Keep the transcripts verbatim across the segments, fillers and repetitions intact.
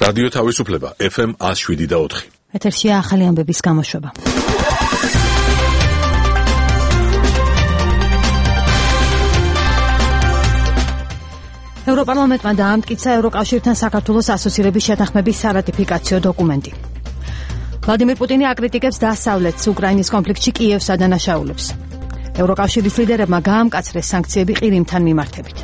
რადიო თავისუფლება ეფ ემ ათს შვიდი და ოთხი. ეთერშია ახალი ამბების გამოშვება. ევროპარლამენტმა დაამტკიცა ევროკავშირთან საქართველოს ასოცირების შეთანხმების სარატიფიკაციო დოკუმენტი. ვლადიმერ პუტინი აკრიტიკებს დასავლეთს უკრაინის კონფლიქტში კიევსა და დანაშაულებს. ევროკავშირის ლიდერებმა გაამკაცრეს სანქციები ყირიმთან მიმართებით.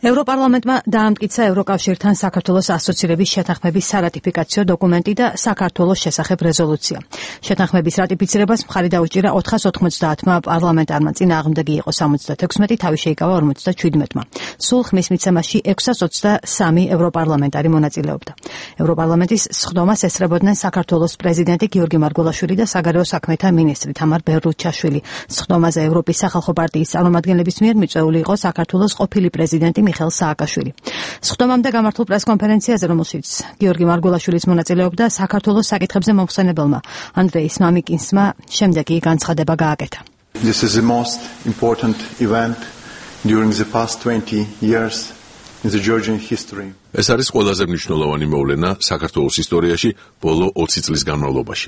ევროპარლამენტმა დაამტკიცა ევროკავშირთან საქართველოს ასოცირების შეთანხმების სარატიფიკაციო დოკუმენტი და საქართველოს შესახებ რეზოლუცია. შეთანხმების რატიფიცირებას მხარი დაუჭირა ოთხას ოთხმოცდაათმა პარლამენტარმა, წინააღმდეგი იყო სამოცდათექვსმეტი, თავი შეიკავა ორმოცდაჩვიდმეტმა. სულ ხმის მიცემაში ექვსას ოცდასამი ევროპარლამენტარი მონაწილეობდა. ევროპარლამენტის სხდომას ესწრებოდნენ საქართველოს პრეზიდენტი გიორგი მარგველაშვილი და საგარეო საქმეთა მინისტრი თამარ ბერლუჩაშვილი. სხდომაზე ევროპის სახალხო პარტიის წარმომადგენლების მიერ მიწვეული იყო საქართველოს ყოფილი პრეზიდენტი მიხეილ სააკაშვილი. სხდომამდე გამართულ პრესკონფერენციაზე, რომელშიც გიორგი მარგველაშვილიც მონაწილეობდა, საქართველოს საკითხებზე მომხსენებელმა ანდრეის მამიკინსმა შემდეგი განცხადება გააკეთა. This is the most important event during the past twenty years in the Georgian history. ეს არის ყველაზე მნიშვნელოვანი მოვლენა საქართველოს ისტორიაში ბოლო ოცი წლის განმავლობაში.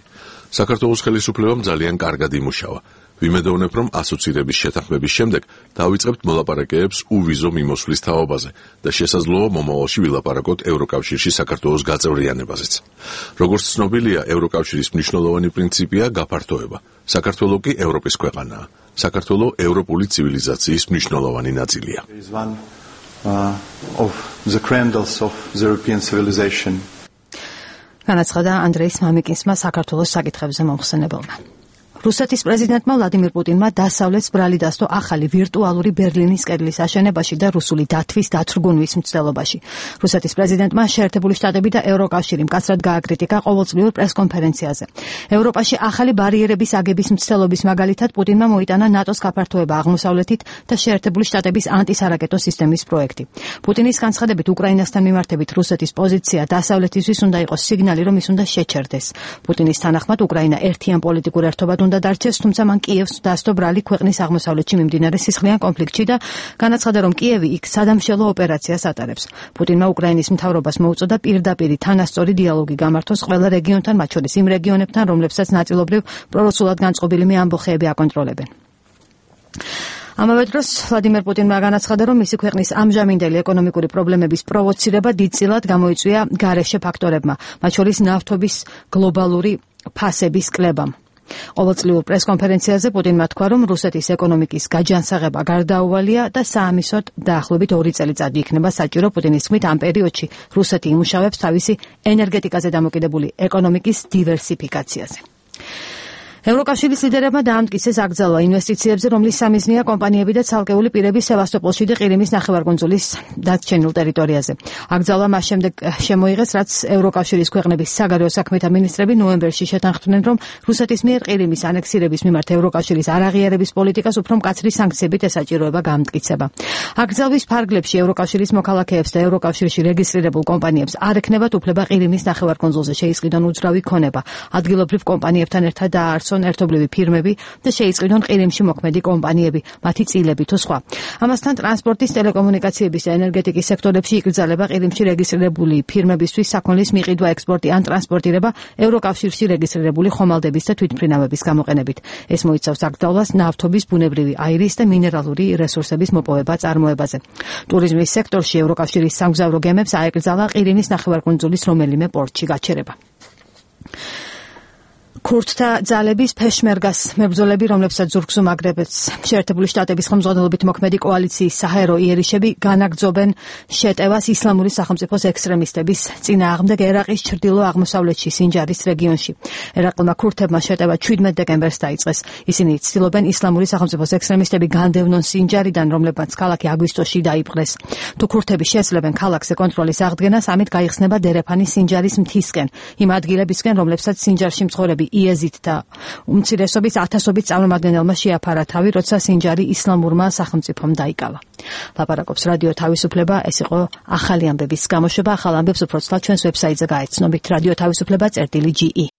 საქართველოს ხელისუფლებამ ძალიან კარგად იმუშავა. ვიმედოვნებ, რომ ასოცირების შეთანხმების შემდეგ დავიწყებთ მოლაპარაკებებს უვიზო მიმოსვლის თაობაზე და შესაძლოა მომავალში ვილაპარაკოთ ევროკავშირში საქართველოს გაწევრიანებაზეც. როგორც ცნობილია, ევროკავშირის მნიშვნელოვანი პრინციპია გაფართოება. საქართველო კი ევროპის ქვეყანაა. საქართველო ევროპული ცივილიზაციის მნიშვნელოვანი ნაწილია. განაცხადა ანდრეის მამიკინსმა საქართველოს საკითხებზე მომხსენებელმა. რუსეთის პრეზიდენტმა ვლადიმერ პუტინმა დასავლეთს ბრალი დასდო ახალი ვირტუალური ბერლინის კედლის აშენებაში და რუსული დათვის დათრგუნვის მცდელობაში. რუსეთის პრეზიდენტმა შეერთებული შტატები და ევროკავშირი მკაცრად გააკრიტიკა ყოველწლიურ პრესკონფერენციაზე. ევროპაში ახალი ბარიერების აგების მცდელობის მაგალითად პუტინმა მოიტანა ნატოს გაფართოება აღმოსავლეთით და შეერთებული შტატების ანტისარაკეტო სისტემის პროექტი. პუტინის განცხადებით უკრაინასთან მიმართებით რუსეთის პოზიცია დასავლეთისთვის უნდა იყოს სიგნალი, რომ ის უნდა შეჩერდეს. პუტინის თანახმად უკრაინა ერთიან პოლიტიკურ ერთობად უნდა დარჩეს, თუმცა მან კიევს დასდო ბრალი ქვეყნის აღმოსავლეთში მიმდინარე სისხლიან კონფლიქტში და განაცხადა, რომ კიევი იქ სადამშელო ოპერაციას ატარებს. პუტინმა უკრაინის მთავრობას მოუწოდა პირდაპირი თანასწორი დიალოგი გამართოს ყველა რეგიონთან, მათ შორის იმ რეგიონებთან, რომლებსაც ნაწილობრივ პრორუსულად განწყობილი ამბოხეები აკონტროლებენ. ამავე დროს ვლადიმერ პუტინმა განაცხადა, რომ მისი ქვეყნის ამჟამინდელი ეკონომიკური პრობლემების პროვოცირება დიდწილად გამოიწვია გარეშე ფაქტორებმა, მათ შორის ნავთობის გლობალური ფასების კლებამ. ყოველწლიურ პრესკონფერენციაზე პუტინმა თქვა, რომ რუსეთის ეკონომიკის გაჯანსაღება გარდაუვალია და საამისოდ დაახლოებით ორი წელიწადი იქნება საჭირო პუტინის თქმით ამ პერიოდში რუსეთი იმუშავებს თავისი ენერგეტიკაზე დამოკიდებული ეკონომიკის დივერსიფიკაციაზე. ევროკავშირის ლიდერებმა დაამტკიცეს აკრძალვა ინვესტიციებზე, რომლის სამიზნეა კომპანიები და ცალკეული პირები სევასტოპოლში და ყირიმის ნახევარკუნძულის დარჩენილ ტერიტორიაზე. აკრძალვა მას შემდეგ შემოიღეს, რაც ევროკავშირის ქვეყნების საგარეო საქმეთა მინისტრები ნოემბერში შეთანხმდნენ, რომ რუსეთის მიერ ყირიმის ანექსირების მიმართ ევროკავშირის არაღიარების პოლიტიკას უფრო მკაცრი სანქციებით ესაჭიროება გამტკიცება. აკრძალვის ფარგლებში ევროკავშირის მოქალაქეებს და ევროკავშირში რეგისტრირებულ კომპანიებს არ ექნებათ უფლება ყირიმის ნახევარკუნძულზე შეისყიდონ უძრავი ქონება. ადგილობრივ კომპანიებთან ერთად დააარსონ ერთობლივი ფირმები და შეიწყიდონ ყირიმში მოქმედი კომპანიები, მათი წილები თუ სხვა. ამასთან ტრანსპორტის, ტელეკომუნიკაციების და ენერგეტიკის სექტორებში იკრძალება ყირიმში რეგისტრირებული ფირმებისთვის საქონლის მიყიდვა, ექსპორტი ან ტრანსპორტირება ევროკავშირში რეგისტრირებული ხომალდების და თვითმფრინავების გამოყენებით. ეს მოიცავს აკრძალვას ნავთობის, ბუნებრივი აირის და მინერალური რესურსების მოპოვება წარმოებაზე. ტურიზმის სექტორში ევროკავშირის სამგზავრო გემებს აეკრძალა ყირიმის ნახევარკუნძულის რომელიმე პორტში გაჩერება. ქურთთა ძალების ფეშმერგას მებრძოლები, რომლებსაც ზურგს უმაგრებებს შეერთებული შტატების ხელმძღვანელობით მოქმედი კოალიციის საჰაერო იერიშები, განაგრძობენ შეტევას ისლამური სახელმწიფოს ექსტრემისტების წინააღმდეგ ერაყის ჩრდილო-აღმოსავლეთში სინჯარის რეგიონში. ერაყელმა ქურთებმა შეტევა შვიდმეტ დეკემბერს დაიწყეს. ისინი ცდილობენ ისლამური სახელმწიფოს ექსტრემისტები განდევნონ სინჯარიდან, რომლებმაც ქალაქი აგვისტოში დაიპყრეს. თუ ქურთები შეძლებენ ქალაქზე კონტროლის აღდგენას, ამით გაიხსნება დერეფანი სინჯარის მთისკენ, იმ ადგილებისკენ, რომლებსაც სინჯარში მცხოვრები იეზიდ და უმცირესობის ათასობით წარმომადგენელმა შეაფარა თავი, როცა სინჯარი ისლამურმა სახელმწიფომ დაიკავა. ლაპარაკობს რადიო თავისუფლება, ეს იყო ახალი ამბების გამოშვება. ახალ ამბებს უფრო ცალ ჩვენს ვებსაიტზე გაეცნობით. რადიო თავისუფლება წერტილი ჯი ი.